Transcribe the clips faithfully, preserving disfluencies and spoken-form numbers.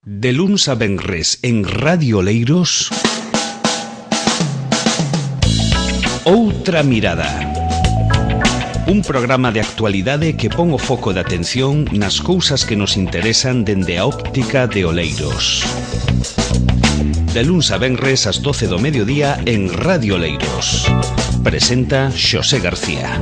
De luns a venres en Radio Oleiros, Outra Mirada. Un programa de actualidade que pon o foco de atención nas cousas que nos interesan dende a óptica de Oleiros. De luns a venres ás doce do mediodía en Radio Oleiros. Presenta Xosé García.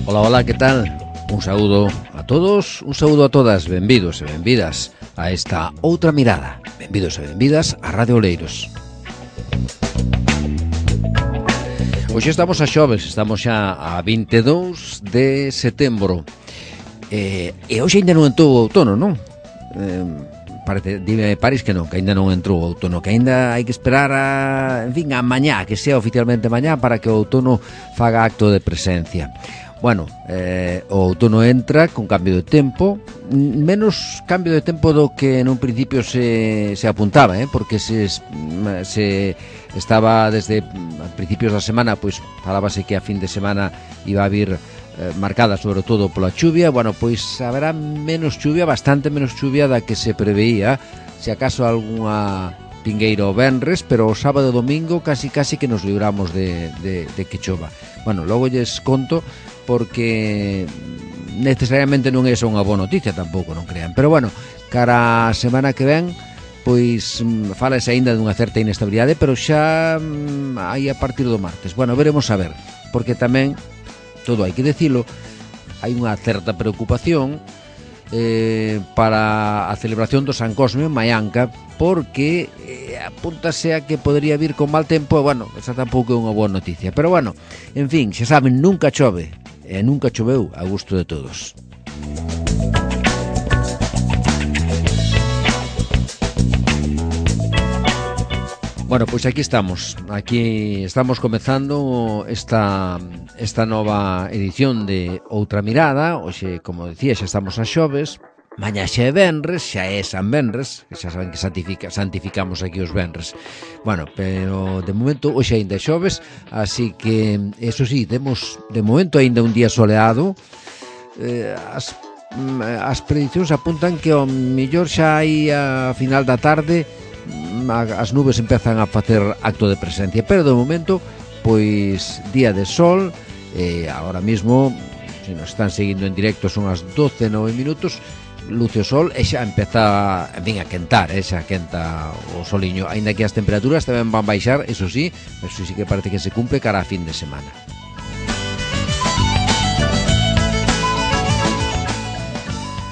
Ola, ola, que tal? Un saúdo a todos, un saúdo a todas, benvidos e benvidas a esta Outra Mirada. Benvidos e benvidas a Radio Oleiros. Hoxe estamos a xoves, estamos xa a vinte e dous de setembro. Eh, e hoxe ainda non entrou o outono, non? Eh, parece, dime París que non, que ainda non entrou o outono, que ainda hai que esperar a, en fin, a mañá, que sea oficialmente mañá para que o outono faga acto de presencia. Bueno, eh, o outono entra con cambio de tempo, menos cambio de tempo do que nun principio se, se apuntaba, eh? Porque se, se estaba desde principios da semana, pois falábase que a fin de semana iba a vir eh, marcada sobre todo pola chuvia. Bueno, pois haberá menos chuvia, bastante menos chuvia da que se preveía, se acaso algunha pingueiro o venres, pero o sábado e domingo casi casi que nos libramos de, de, de que chova. Bueno, logo lles conto, porque necesariamente non é só unha boa noticia tampouco, non crean, pero bueno, cara a semana que ven pois falase aínda dunha certa inestabilidade, pero xa aí a partir do martes. Bueno, veremos a ver, porque tamén todo hai que dicilo, hai unha certa preocupación eh, para a celebración do San Cosme en Maianca, porque eh, apúntase a que podría vir con mal tempo. Bueno, esa tampouco é unha boa noticia, pero bueno, en fin, xa saben, nunca chove e nunca choveu a gusto de todos. Bueno, pois aquí estamos, aquí estamos comezando esta, esta nova edición de Outra Mirada. Hoxe, como decía, xa estamos a xoves, mañá xa é venres, xa é San Venres, que xa saben que santifica, santificamos aquí os venres. Bueno, pero de momento hoxe ainda é xoves, así que, eso sí, temos de momento ainda un día soleado. eh, as, as predicións apuntan que ao mellor xa hai a final da tarde as nubes empezan a facer acto de presencia, pero de momento pois día de sol. E eh, agora mismo, se nos están seguindo en directo, son as doce e nove minutos, luce o sol e xa empeza, en fin, a quentar, eh, xa quenta o soliño, aínda que as temperaturas tamén van baixar, eso sí, eso sí que parece que se cumple cara a fin de semana.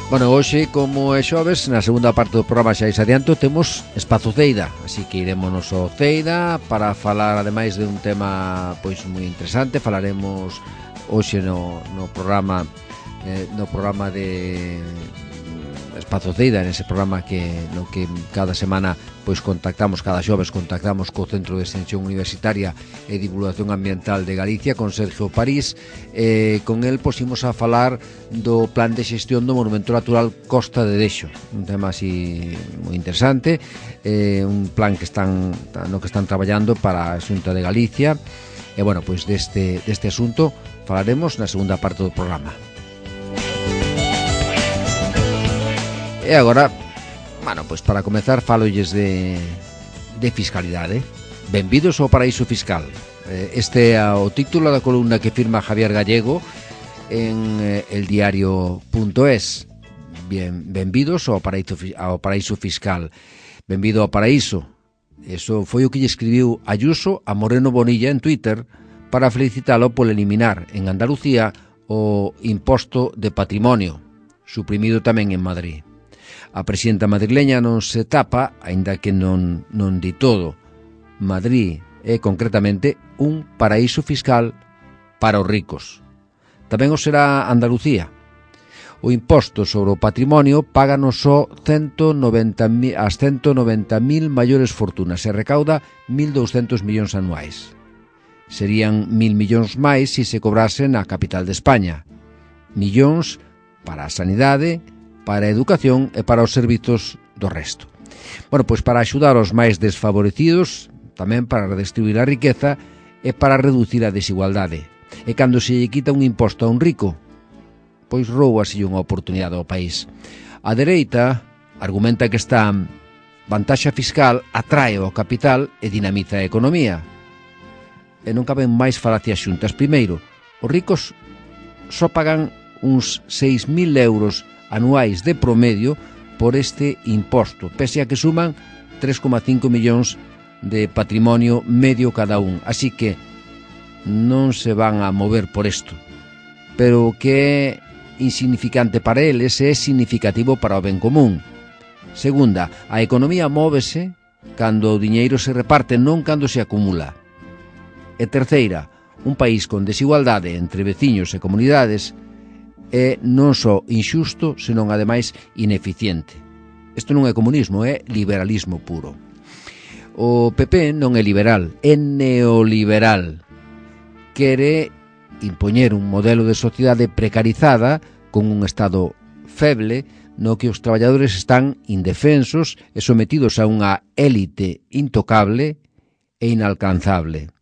Bueno, hoxe, como é xoves, na segunda parte do programa xa is adianto, temos Espazo Ceida, así que iremos ao Ceida para falar ademais de un tema pois moi interesante. Falaremos hoxe no, no programa eh, no programa de Espazo Ceida, nese programa que no que cada semana pois contactamos, cada xoves contactamos co Centro de Extensión Universitaria e Divulgación Ambiental de Galicia, con Sergio París. Eh, con el posimos a falar do plan de xestión do Monumento Natural Costa de Dexo, un tema así moi interesante, eh, un plan que están no que están traballando para a Xunta de Galicia. E bueno, pois deste, deste asunto falaremos na segunda parte do programa. E agora, bueno, pois para comezar falolles de, de fiscalidade. Benvidos ao paraíso fiscal. Este é o título da columna que firma Javier Gallego en el diario punto es. Bien, benvidos ao paraíso, ao paraíso fiscal. Benvido ao paraíso. Eso foi o que lle escribiu Ayuso a Moreno Bonilla en Twitter para felicitalo por eliminar en Andalucía o imposto de patrimonio, suprimido tamén en Madrid. A presidenta madrileña non se tapa, aínda que non, non di todo. Madrid é concretamente un paraíso fiscal para os ricos. Tamén o será Andalucía. O imposto sobre o patrimonio págano só ciento noventa mil, as ciento noventa mil maiores fortunas e recauda mil douscentos millóns anuais. Serían mil millóns máis se se cobrasen na capital de España. Millóns para a sanidade, para a educación e para os servizos do resto. Bueno, pois para axudar aos máis desfavorecidos, tamén para redistribuir a riqueza é para reducir a desigualdade. E cando se lle quita un imposto a un rico, pois roubaselle unha oportunidade ao país. A dereita argumenta que esta vantaxa fiscal atrae ao capital e dinamiza a economía. E non caben máis falacias xuntas. Primeiro, os ricos só pagan uns seis mil euros anuais de promedio por este imposto, pese a que suman tres coma cinco millóns de patrimonio medio cada un. Así que non se van a mover por isto. Pero o que é insignificante para eles é significativo para o ben común. Segunda, a economía móvese cando o diñeiro se reparte, non cando se acumula. E terceira, un país con desigualdade entre veciños e comunidades é non só inxusto, senón ademais ineficiente. Isto non é comunismo, é liberalismo puro. O P P non é liberal, é neoliberal. Quere impoñer un modelo de sociedade precarizada con un Estado feble no que os traballadores están indefensos e sometidos a unha élite intocable e inalcanzable.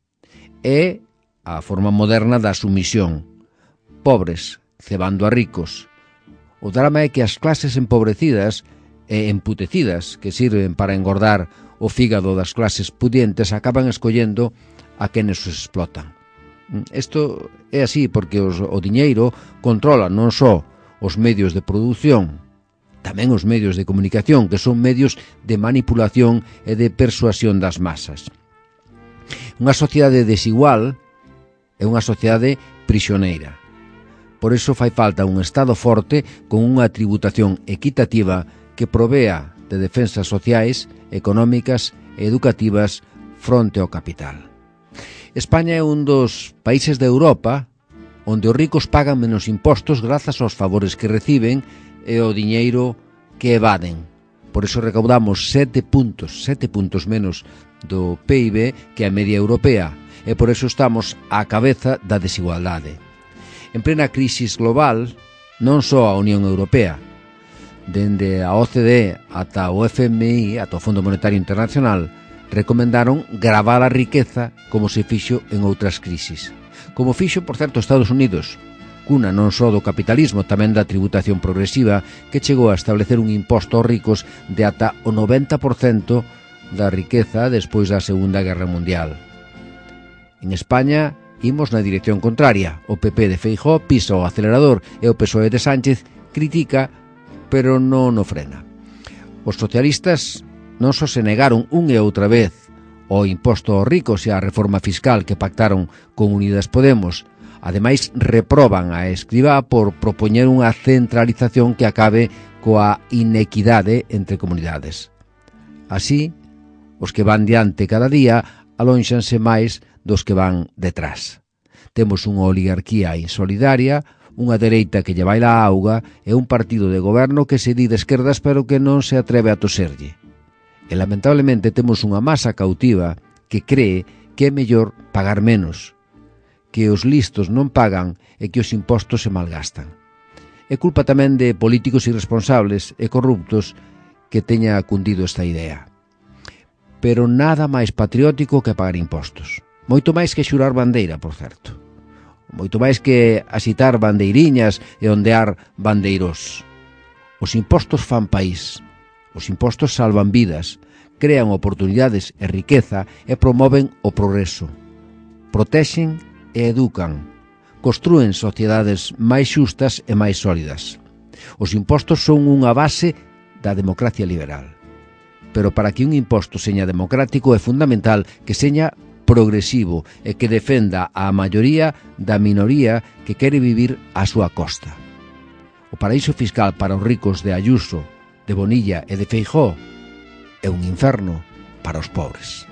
É a forma moderna da sumisión. Pobres cebando a ricos. O drama é que as clases empobrecidas e emputecidas que sirven para engordar o fígado das clases pudientes acaban escollendo a quenes os explotan. Isto é así porque os, o diñeiro controla non só os medios de produción, tamén os medios de comunicación, que son medios de manipulación e de persuasión das masas. Unha sociedade desigual é unha sociedade prisioneira. Por iso fai falta un Estado forte con unha tributación equitativa que provea de defensas sociais, económicas e educativas fronte ao capital. España é un dos países de Europa onde os ricos pagan menos impostos grazas aos favores que reciben e ao diñeiro que evaden. Por iso recaudamos sete puntos, sete puntos menos do P I B que a media europea, e por iso estamos á cabeza da desigualdade. En plena crisis global, non só a Unión Europea, dende a O C D ata o F M I, ata o Fondo Monetario Internacional, recomendaron gravar a riqueza como se fixo en outras crisis. Como fixo, por certo, Estados Unidos, cuna non só do capitalismo, tamén da tributación progresiva, que chegou a establecer un imposto aos ricos de ata o noventa por cento da riqueza despois da Segunda Guerra Mundial. En España, imos na dirección contraria. O P P de Feijóo pisa o acelerador e o P S O E de Sánchez critica, pero non o frena. Os socialistas non só se negaron un e outra vez o imposto aos ricos e a reforma fiscal que pactaron con Unidas Podemos, ademais reproban a Escrivá por propoñer unha centralización que acabe coa inequidade entre comunidades. Así, os que van diante cada día alónxanse máis dos que van detrás. Temos unha oligarquía insolidaria, unha dereita que lle baila a auga e un partido de goberno que se di de esquerdas pero que non se atreve a toserlle. E lamentablemente temos unha masa cautiva que cree que é mellor pagar menos, que os listos non pagan e que os impostos se malgastan. É culpa tamén de políticos irresponsables e corruptos que teña cundido esta idea. Pero nada máis patriótico que pagar impostos. Moito máis que xurar bandeira, por certo. Moito máis que asitar bandeiriñas e ondear bandeiros. Os impostos fan país. Os impostos salvan vidas, crean oportunidades e riqueza e promoven o progreso. Protexen e educan. Construen sociedades máis xustas e máis sólidas. Os impostos son unha base da democracia liberal. Pero para que un imposto seña democrático é fundamental que seña progresivo e que defenda a maioría da minoría que quere vivir á súa costa. O paraíso fiscal para os ricos de Ayuso, de Bonilla e de Feijóo é un inferno para os pobres.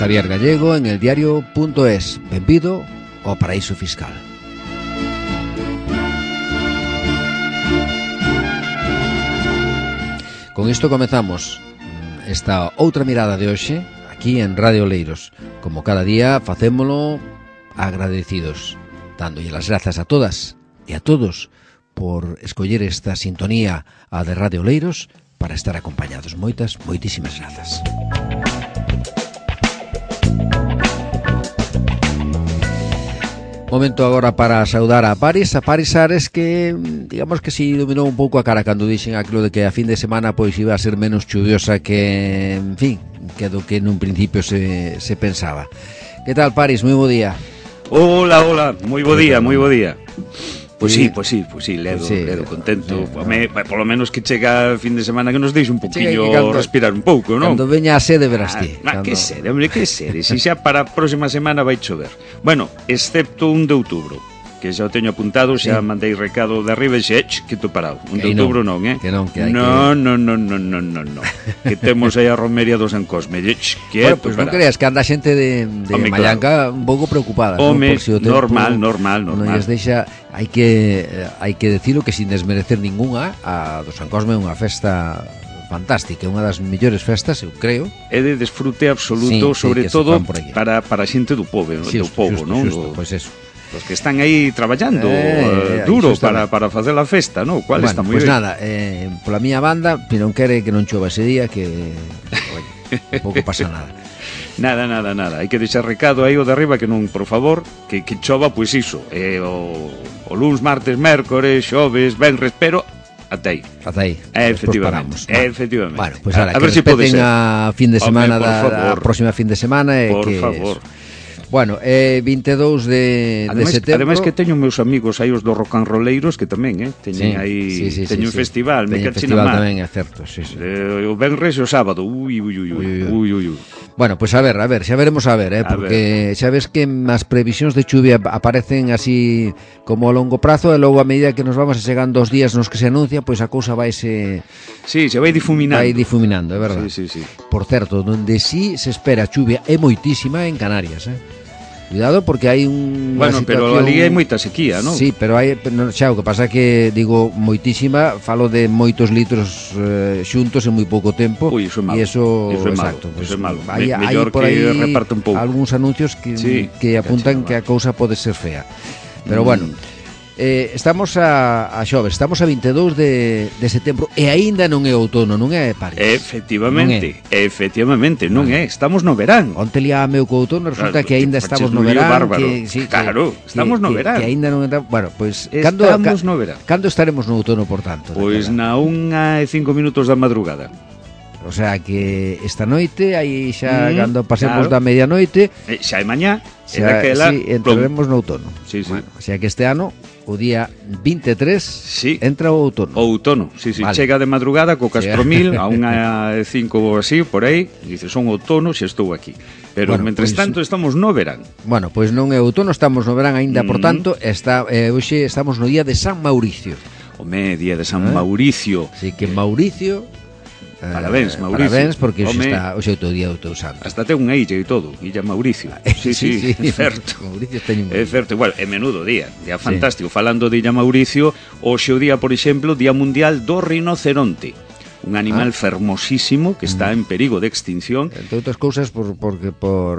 Javier Gallego en el diario punto es. Benvido ao paraíso fiscal. Con isto comezamos esta outra mirada de hoxe aquí en Radio Oleiros. Como cada día facémolo agradecidos, dándolle las grazas a todas e a todos por escoller esta sintonía a de Radio Oleiros para estar acompañados. Moitas, moitísimas grazas. Momento agora para saudar a Paris, a Paris Ares, que digamos que si iluminou un pouco a cara cando dixen aquilo de que a fin de semana pois iba a ser menos chuviosa que, en fin, que do que nun principio se, se pensaba. Que tal, Paris? Moi bo día. Hola, hola, moi bo día, moi bo día. Pois sí, pois sí, pois sí, ledo, sí, ledo contento. Sí, me, polo menos que chega o fin de semana que nos deixe un poquinho cando, respirar un pouco, non? Cando veña a sede verás ti. Ah, cando... que sede, hombre, que sede. Si xa para a próxima semana vai chover. Bueno, excepto un de outubro, que xa o teño apuntado, xa sí. Mandei recado de arriba e xe, que to parado. Un de outubro non, eh? Que non, que hai no, que... No, no, no, no, no, no. Que temos aí a romería do San Cosme. Que bueno, pois pues non creas que anda xente de, de Home, Mallanca claro. Un pouco preocupada. Home, ¿no? Si tempo, normal, normal, normal. Non lles deixa, hai que, hai que decirlo que sin desmerecer ningunha, a do San Cosme é unha festa fantástica, é unha das mellores festas, eu creo. É de desfrute absoluto, sí, sobre sí, todo para, para a xente do povo, sí, do povo, non? Pois pues eso. Os que están aí traballando eh, uh, duro para, para facer a festa, ¿no? Cual bueno, está moi pues ben. Nada, eh, pola miña banda, non quere que non chova ese día, que oye, pouco pasa nada. Nada, nada, nada. Hai que deixar recado aí o de arriba que non, por favor, que, que chova, pois iso. Eh, o, o luns, martes, mércores, xoves, venres, pero ata aí. Ata aí. Eh, efectivamente. Eh, efectivamente. Bueno, pois pues, a, a ver se si pode ser. A fin de semana Home, da a próxima fin de semana e por que favor. Bueno, eh, vinte e dous de, ademais, de setembro. Ademais que teño meus amigos aí os do rock and rolleiros que tamén, eh, teñen sí, aí sí, sí, teño sí, un sí. festival, me cachi na mar. Tamén é certo, sí, sí. Eh, o venres e o sábado. Ui, ui, ui, ui, ui, ui, ui. Bueno, pois pues a ver, a ver, xa veremos a ver, eh, a porque ver. Xa ves que as previsións de chuvia aparecen así como a longo prazo e logo a medida que nos vamos chegando os días nos que se anuncia, pois pues a cousa vaise Sí, se vai difuminando. Vai difuminando, é verdade. Sí, sí, sí. Por certo, donde sí se espera chuvia é moitísima en Canarias, eh. Cuidado porque hai un Bueno, situación... pero ali hai moita sequía, non? Sí, pero hai xa o que pasa que digo moitísima, falo de moitos litros eh, xuntos en moi pouco tempo. Ui, iso é malo. E eso, iso é exacto, malo. Pues, iso é malo. Hai, Me, mellor hai por aí que reparte un pouco. Algúns anuncios que sí, que apuntan que a cousa pode ser fea. Pero mm. bueno, eh, estamos a, a xoves, estamos a vinte e dous de, de setembro e aínda non é outono, non é, Paris? Efectivamente, non é. efectivamente, non é, estamos no verán. Onte liáme co outono, resulta claro, que aínda estamos no verán, que, sí, claro, que, estamos que, no verán. Que, que aínda non está, bueno, pois pues, cando estamos no verán. Cando estaremos no outono, por tanto? Pois pues na unha e cinco minutos da madrugada. O sea que esta noite aí xa mm, cando pasemos claro. da medianoite, eh, xa é mañá, xa, daquela, sí, entraremos no outono. Sí, sí. Bueno, o sea que este ano o día vinte e tres sí. entra o outono. O outono, sí, sí, vale. Chega de madrugada co Castromil a unha e cinco ou así, por aí, e dice, son outono se estou aquí. Pero, bueno, mentres pues, tanto, estamos no verán. Bueno, pois pues non é outono, estamos no verán aínda, mm. por tanto, está, eh, hoxe estamos no día de San Mauricio. Home, día de San ¿Eh? Mauricio. Así que Mauricio... Parabéns, Mauricio. Parabéns, porque hoxe está o xeito día do teu santo. Hasta ten unha illa e todo, Illa Mauricio. Sí, sí, sí, é certo. Mauricio ten un... É certo, igual, é menudo día, día fantástico. Sí. Falando de Illa Mauricio, hoxe o día, por exemplo, Día Mundial do Rinoceronte. Un animal ah. fermosísimo que está en perigo de extinción. Entre outras cousas por porque por,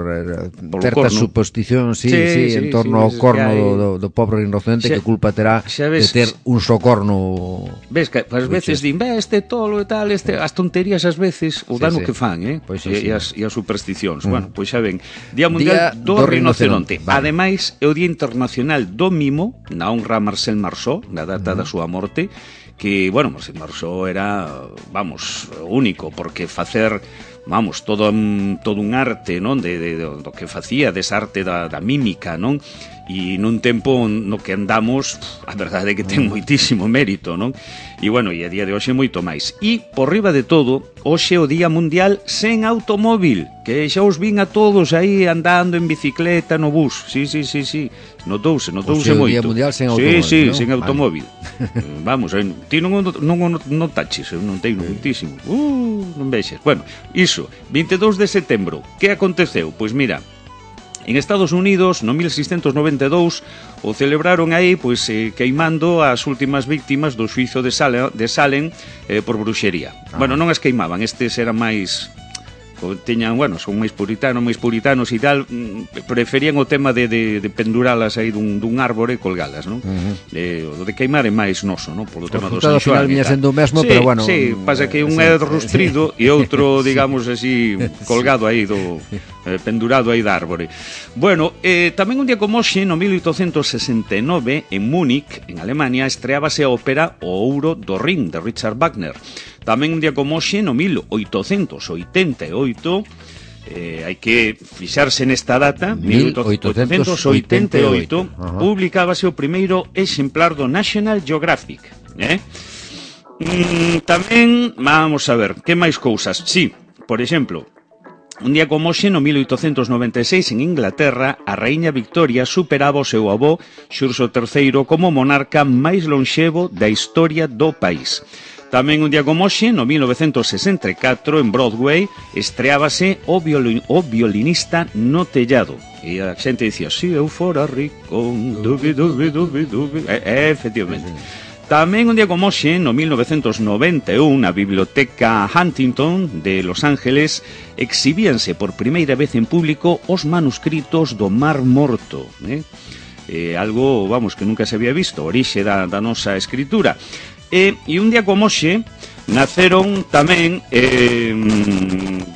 por certas suposicións, sí, sí, sí, sí, en torno sí, ao corno hai... do, do pobre rinoceronte, xa, que culpa terá ves, de ter un só corno. Ves que ás veces din, "Ve, este tolo e tal, este as tonterías ás veces o dano sí, sí. que fan, eh?" Pois sí, e, sí. e as e as supersticións. Mm. Bueno, pois xa ven, Día Mundial Día do, do Rinoceronte. Vale. Ademais, é o Día Internacional do Mimo, na honra a Marcel Marceau, na data mm. da súa morte, que, bueno, Marcel Marceau era, vamos, único, porque facer, vamos, todo un, todo un arte, non, de, de, de, do que facía, desa arte da, da mímica, non? E nun tempo no que andamos, a verdade é que ten moitísimo mérito, non? E, bueno, e a día de hoxe moito máis. E, por riba de todo, hoxe o Día Mundial sen automóvil, que xa os vin a todos aí andando en bicicleta no bus. Sí, sí, sí, sí. Notouse, notouse moito. O Día Mundial sen automóvil, sí, sí, ¿no? sen automóvil. Vale. Vamos, ti non non non taches, eu non teino moitísimo. Uh, non vexes. Bueno, iso, vinte e dous de setembro. Que aconteceu? Pois mira, en Estados Unidos, no mil seiscentos noventa e dous, o celebraron aí pois eh, queimando as últimas víctimas do xuízo de Salem, de Salem eh, por bruxería. Ah. Bueno, non as queimaban, estes eran máis teñan, bueno, son máis puritanos, máis puritanos e tal, preferían o tema de, de, de penduralas aí dun, dun árbore e colgalas, non? Uh-huh. Eh, o de queimar é máis noso, non? Polo tema do San Xoán. Ao final viña sendo o mesmo, sí, pero bueno... Sí, pasa que un sí, é rustrido sí. e outro, digamos así, colgado aí do... Eh, pendurado aí da árbore. Bueno, eh, tamén un día como hoxe, no mil oitocentos sesenta e nove, en Múnich, en Alemania, estreábase a ópera O Ouro do Rin, de Richard Wagner. Tamén un día como hoxe, no mil oitocentos oitenta e oito, eh, hai que fixarse nesta data, mil oitocentos oitenta e oito, uh-huh. publicábase o primeiro exemplar do National Geographic. Eh? Mm, tamén, vamos a ver, que máis cousas? Sí, por exemplo, un día como hoxe, no mil oitocentos noventa e seis, en Inglaterra, a raíña Victoria superaba o seu avó, Xurxo terceiro, como monarca máis lonxevo da historia do país. Tamén un día como hoxe, no mil novecentos sesenta e catro, en Broadway, estreábase o, violin, o violinista no tellado. E a xente dicía, si eu fora rico, dubi, dubi, dubi, dubi. E, efectivamente. Tamén un día como hoxe, no mil novecentos noventa e un, na Biblioteca Huntington de Los Ángeles, exhibíanse por primeira vez en público os manuscritos do Mar Morto, eh? Eh, algo, vamos, que nunca se había visto, orixe da, da nosa escritura. E, e un día como hoxe naceron tamén eh,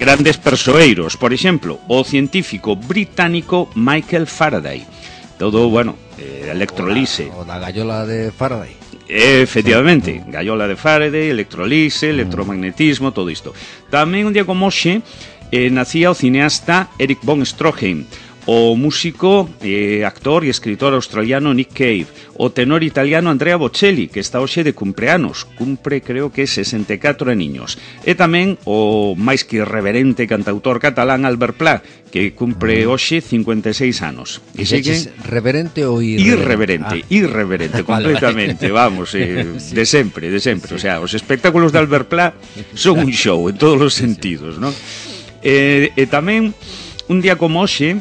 grandes persoeiros. Por exemplo, o científico británico Michael Faraday. Todo, bueno, eh, electrolise. O da, o da gallola de Faraday. Efectivamente, gallola de Faraday, electrolise, electromagnetismo, todo isto. Tamén un día como hoxe eh, nacía o cineasta Erich von Stroheim, o músico, eh, actor e escritor australiano Nick Cave, o tenor italiano Andrea Bocelli, que está hoxe de cumpleanos, cumpre creo que sesenta e catro aniños, e tamén o máis que irreverente cantautor catalán Albert Pla, que cumpre hoxe cincuenta e seis anos. E seguen reverente ou irreverente? Irreverente, ah. irreverente, completamente, vamos, eh, sí. de sempre, de sempre, sí. O sea, os espectáculos de Albert Pla son un show en todos os sentidos, ¿no? E, e tamén un día como hoxe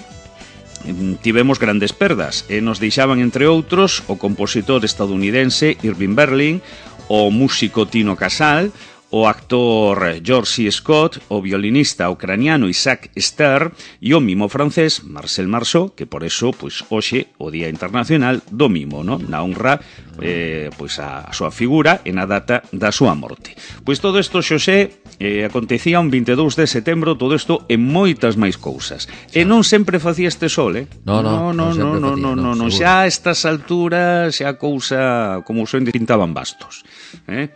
tivemos grandes perdas e nos deixaban, entre outros, o compositor estadounidense Irving Berlin, o músico Tino Casal, o actor George C. Scott, o violinista ucraniano Isaac Stern e o mimo francés Marcel Marceau, que por eso, pois, hoxe, o Día Internacional do Mimo, no? Na honra eh, pois a, a súa figura e na data da súa morte. Pois todo isto, Xosé, eh, acontecía un vinte e dous de setembro, todo isto e moitas máis cousas. E non sempre facía este sol, eh? No, no, no, no, no, no, no, no, xa a estas alturas xa a cousa como se pintaban bastos, eh?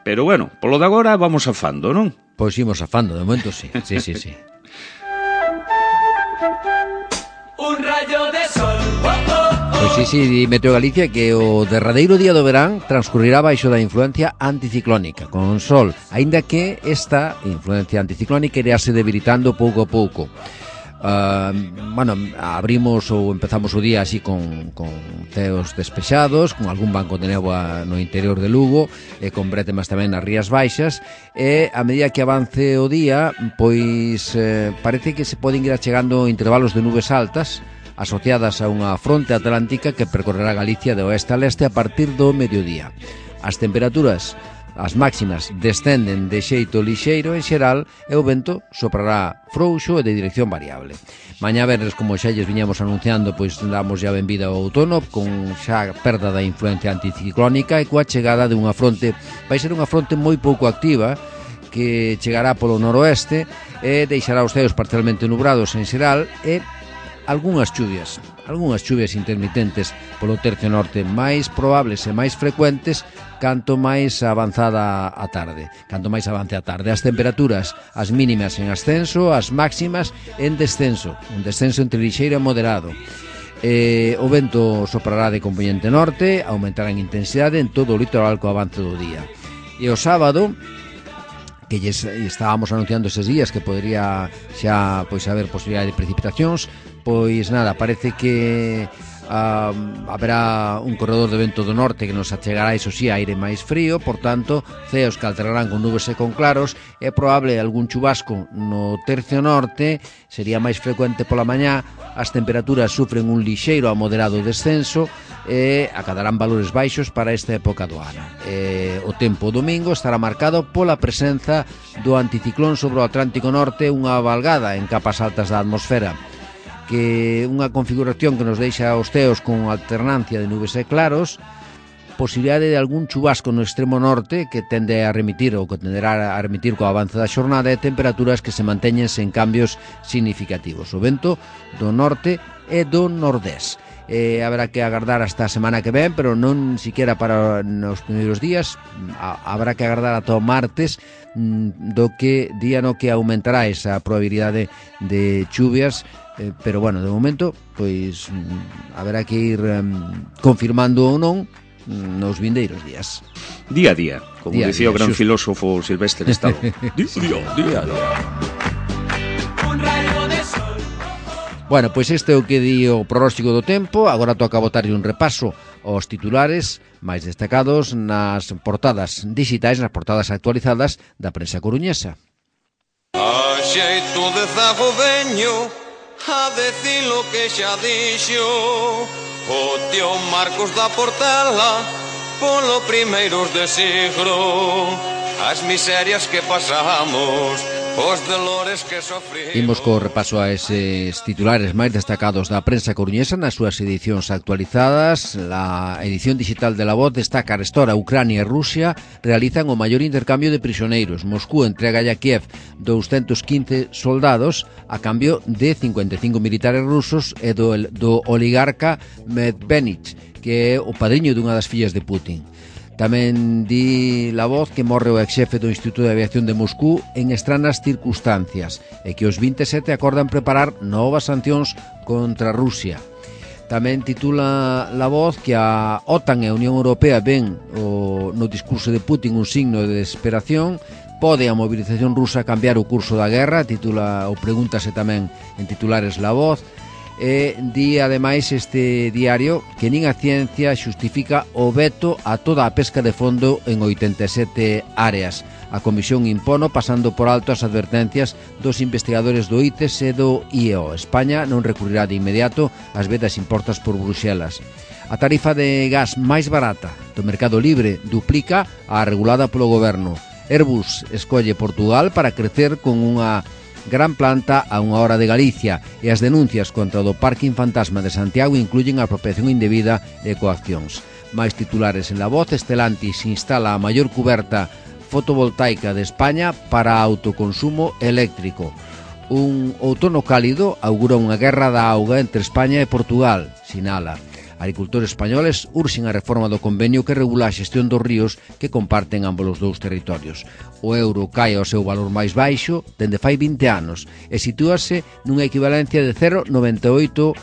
Pero bueno, polo de agora vamos afando, non? Pois imos afando, de momento sí. Sí, sí, sí. Un rayo de sol. Oh, oh, oh. Pois sí, sí, di Meteo Galicia que o derradeiro día do verán transcurrirá baixo da influencia anticiclónica, con sol, aínda que esta influencia anticiclónica iráse debilitando pouco a pouco. Uh, bueno, abrimos ou empezamos o día así con, con ceos despexados, con algún banco de néboa no interior de Lugo e con brétemas tamén nas Rías Baixas, e a medida que avance o día, pois eh, parece que se poden ir achegando intervalos de nubes altas asociadas a unha fronte atlántica que percorrerá Galicia de oeste a leste a partir do mediodía. As temperaturas, as máximas, descenden de xeito lixeiro en xeral e o vento soprará frouxo e de dirección variable. Mañá venres, como xa lles viñamos anunciando, pois damos ya benvida ao outono con xa perda da influencia anticiclónica e coa chegada de unha fronte, vai ser unha fronte moi pouco activa que chegará polo noroeste e deixará os ceos parcialmente nubrados en xeral e algunhas chuvias, algunhas chuvias intermitentes polo tercio norte, máis probables e máis frecuentes canto máis avanzada a tarde, canto máis avance a tarde. As temperaturas, as mínimas en ascenso, as máximas en descenso, un descenso entre lixeiro e moderado. Eh, o vento soprará de componente norte, aumentará en intensidade en todo o litoral co avance do día. E o sábado, que lles estábamos anunciando eses días que podría xa pois haber posibilidade de precipitacións, pois nada, parece que Uh, haberá un corredor de vento do norte que nos achegará, iso sí, aire máis frío, por tanto, ceos que alterarán con nubes e con claros. É probable algún chubasco no tercio norte, sería máis frecuente pola mañá. As temperaturas sufren un lixeiro a moderado descenso e acadarán valores baixos para esta época do ano. E o tempo domingo estará marcado pola presenza do anticiclón sobre o Atlántico Norte, unha valgada en capas altas da atmosfera, que unha configuración que nos deixa os ceos con alternancia de nubes e claros, posibilidade de algún chubasco no extremo norte que tende a remitir ou que tenderá a remitir co avance da xornada, e temperaturas que se manteñen sen cambios significativos. O vento do norte e do nordés. Eh, habrá que agardar hasta a semana que ven, pero non siquiera para nos primeiros días. A, habrá que agardar ata o martes, mm, do que día no que aumentará esa probabilidade de chuvias, eh, pero bueno, de momento pois mm, haberá que ir mm, confirmando ou non nos vindeiros días. Día a día, como día dicía día, o gran xusto. filósofo Silvestre Stallone. Día a día, día a día. Bueno, pois este é o que di o pronóstico do tempo. Agora toca botarlle un repaso aos titulares máis destacados nas portadas digitais, nas portadas actualizadas da prensa coruñesa. A xeito de zago veño a decir lo que xa dixo o tío Marcos da Portela polo primeiros de siglo, as miserias que pasamos, os dolores que sofrimos. Imos co repaso a eses titulares máis destacados da prensa coruñesa nas súas edicións actualizadas. La edición digital de La Voz destaca arestora Ucrania e Rusia realizan o maior intercambio de prisioneiros. Moscú entrega a Kiev doscientos quince soldados a cambio de cincuenta e cinco militares rusos e do, do oligarca Medvedev, que é o padriño dunha das fillas de Putin. Tamén di La Voz que morre o exxefe do Instituto de Aviación de Moscú en estranas circunstancias e que os veinte e sete acordan preparar novas sancións contra Rusia. Tamén titula La Voz que a OTAN e a Unión Europea ven o, no discurso de Putin un signo de desesperación. Pode a movilización rusa cambiar o curso da guerra, titula ou pregúntase tamén en titulares La Voz. E di ademais este diario que nin a ciencia xustifica o veto a toda a pesca de fondo en oitenta e sete áreas. A Comisión impono pasando por alto as advertencias dos investigadores do I C E S e do I E O. España non recurrirá de inmediato ás vedas impostas por Bruxelas. A tarifa de gas máis barata do mercado libre duplica a regulada polo goberno. Airbus escolle Portugal para crecer con unha gran planta a unha hora de Galicia, e as denuncias contra o do Parking Fantasma de Santiago incluyen a apropiación indebida e coaccións. Mais titulares en La Voz. Stellantis instala a maior cuberta fotovoltaica de España para autoconsumo eléctrico. Un outono cálido augura unha guerra da auga entre España e Portugal, sinala. Agricultores españoles urxen a reforma do convenio que regula a xestión dos ríos que comparten ambos os dous territorios. O euro cae ao seu valor máis baixo dende fai vinte anos e sitúase nunha equivalencia de cero vírgula noventa e oito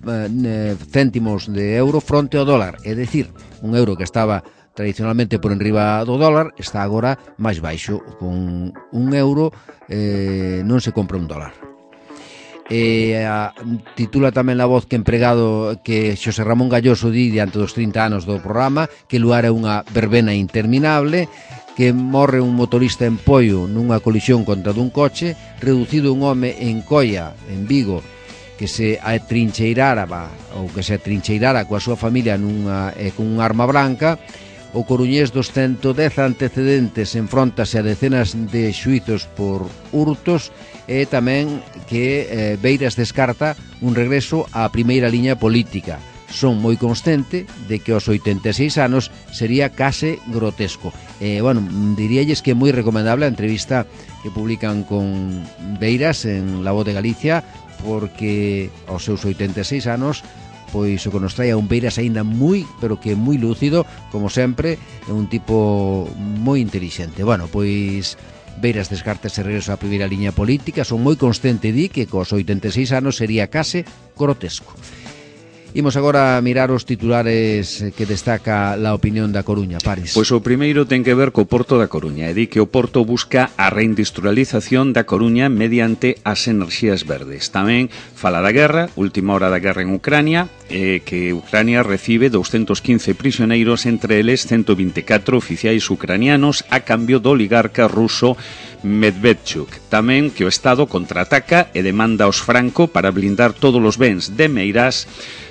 eh, céntimos de euro fronte ao dólar. É dicir, un euro que estaba tradicionalmente por enriba do dólar está agora máis baixo. Con un euro eh, non se compra un dólar. E a, titula tamén La Voz que empregado que Xosé Ramón Galloso di diante dos trinta anos do programa que luar é unha verbena interminable, que morre un motorista en Poio nunha colisión contra dun coche, reducido un home en Coia, en Vigo, que se atrincheirara ou que se atrincheirara coa súa familia nunha, eh, con un arma branca. O coruñés dos ciento dez antecedentes enfróntase a decenas de xuizos por hurtos, e tamén que eh, Beiras descarta un regreso á primeira liña política. Son moi consciente de que aos oitenta e seis anos sería case grotesco. Eh, bueno, diríalles que é moi recomendable a entrevista que publican con Beiras en La Voz de Galicia, porque aos seus oitenta e seis anos pois o que nos trae a un Beiras aínda moi, pero que moi lúcido, como sempre, é un tipo moi intelixente. Bueno, pois Beiras descarta ese regreso á primeira liña política. Son moi consciente di que cos oitenta e seis anos sería case grotesco. Imos agora a mirar os titulares que destaca La Opinión da Coruña, Paris. Pois o primeiro ten que ver co Porto da Coruña e di que o Porto busca a reindustrialización da Coruña mediante as enerxías verdes. Tamén fala da guerra, última hora da guerra en Ucrania, eh, que Ucrania recibe doscientos quince prisioneiros, entre eles ciento vinte e catro oficiais ucranianos a cambio do oligarca ruso Medvedchuk. Tamén que o Estado contraataca e demanda aos Franco para blindar todos os bens de Meirás.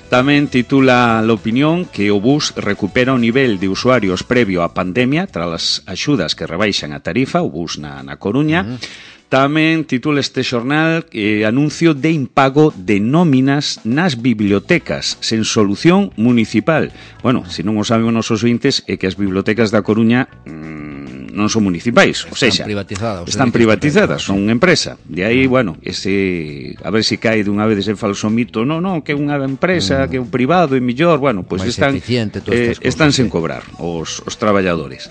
Tamén titula La Opinión que o bus recupera o nivel de usuarios previo á pandemia tras as axudas que rebaixan a tarifa, o bus na, na Coruña. Uh-huh. Tamén titula este xornal eh, anuncio de impago de nóminas nas bibliotecas sen solución municipal. Bueno, se non o saben os nosos ointes, é que as bibliotecas da Coruña mmm, non son municipais, ou seja, están privatizadas, están privatizadas, son unha empresa. De aí, bueno, ese a ver se cae dunha vez ese falso mito, non, non, que é unha empresa, mm. que é un privado e mellor, bueno, pois pues están eh, están sen cobrar os os traballadores.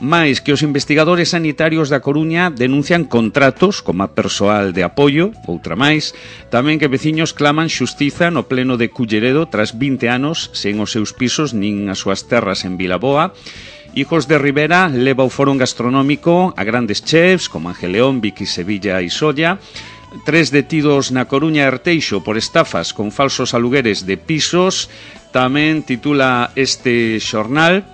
Mais que os investigadores sanitarios da Coruña denuncian contratos como persoal de apoio, outra máis, tamén que veciños claman xustiza no pleno de Culleredo tras vinte anos sen os seus pisos nin as súas terras en Vilaboa. Hijos de Rivera leva o foro gastronómico a grandes chefs como Ángel León, Vicky Sevilla e Solla. Tres detidos na Coruña e Arteixo por estafas con falsos alugueres de pisos. Tamén titula este xornal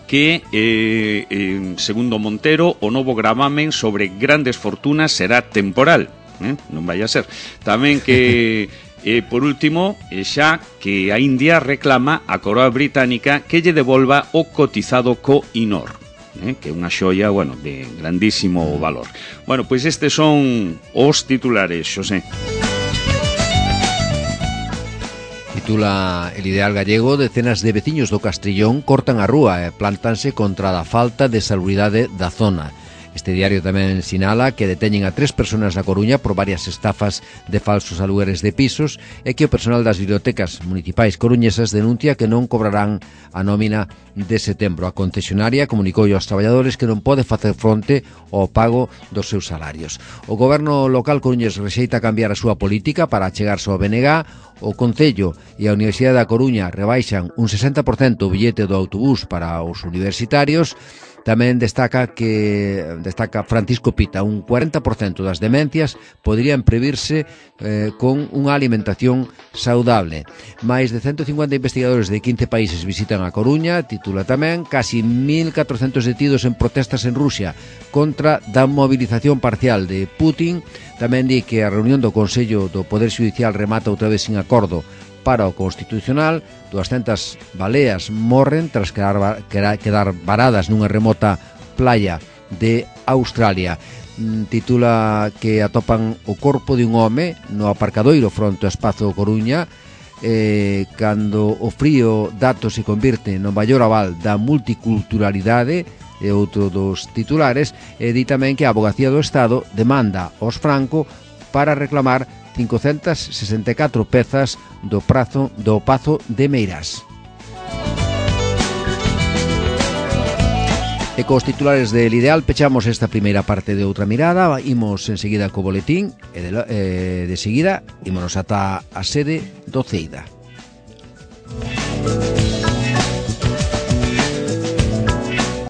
que, eh, eh, segundo Montero, o novo gravamen sobre grandes fortunas será temporal. Eh? Non vai a ser. Tamén que, eh, por último, eh, xa que a India reclama a coroa británica que lle devolva o cotizado co Inor. Eh, que é unha xoia, bueno, de grandísimo valor. Bueno, pois estes son os titulares, Xosé. Titula El Ideal Gallego, decenas de veciños do Castrillón cortan a rúa e plántanse contra a falta de salubridade da zona. Este diario tamén sinala que deteñen a tres persoas na Coruña por varias estafas de falsos alugueres de pisos e que o personal das bibliotecas municipais coruñesas denuncia que non cobrarán a nómina de setembro. A concesionaria comunicou aos traballadores que non pode facer fronte ao pago dos seus salarios. O goberno local coruñés rexeita cambiar a súa política para achegarse ao B N G. O Concello e a Universidade da Coruña rebaixan un sesenta por cento o billete do autobús para os universitarios. Tamén destaca que destaca Francisco Pita, un cuarenta por cento das demencias poderían previrse eh, con unha alimentación saudable. Mais de ciento cincuenta investigadores de quince países visitan a Coruña, titula tamén, casi mil catrocentos detidos en protestas en Rusia contra da movilización parcial de Putin. Tamén di que a reunión do Consello do Poder Xudicial remata outra vez sin acordo para o Constitucional. duascentas baleas morren tras quedar, quedar varadas nunha remota playa de Australia. Titula que atopan o corpo de un home no aparcadoiro fronte ao Espazo Coruña eh, cando o frío dato se convirte no maior aval da multiculturalidade, e outro dos titulares. E di tamén que a Avogacía do Estado demanda aos Franco para reclamar cincocentas sesenta e catro pezas do prazo do Pazo de Meirás. E cos titulares del Ideal pechamos esta primeira parte de Outra Mirada. Imos enseguida co boletín e de, eh, de seguida ímonos ata a sede do Ceida.